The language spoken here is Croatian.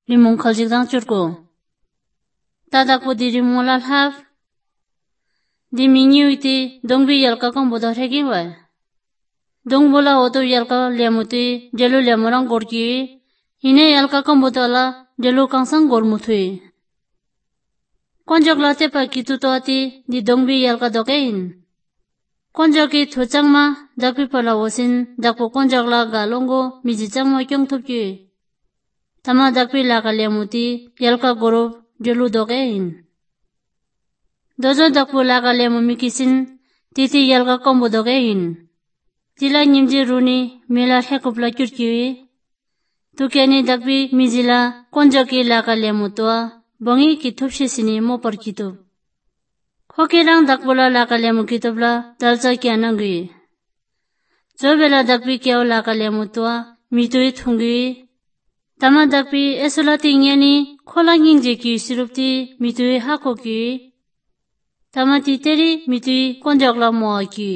rimong khaljikdang churko. Tadakpo di rimong lal haf. Di mingiu iti dongbi yalka kong bodo regin wa. Dongbola oto yalka liamuti jalu liamurang gorki. Hine yalka kong bodo ala jalu kangsang gormutui. Konjok la tepa kitu to ati di dongbi yalka dokein. Konjok ki thochangma dakpi pala wosin dakpo konjok la galongo mijichangma kyong tupki. Tama dakpi laka liamuti yalka gorob jalu dokein. Dojo dakpo laka liamu mikisin titi yalka kombo dokein. Tila nyimji runi mela hekupla kyurkiwi. Tukiani dakpi mijila konjok ki laka liamu toa bongi ki thupshisini mopar kitub. Khokirang dakpola laka liamu kitubla dalcha kya nangwi. Zobela dakpi kyao laka liamu toa mitui thungwi. Tama dakpi esolati ngeni khola ngingje ki sirupti mitui hako ki. Tama titeri mitui konjok la moa ki.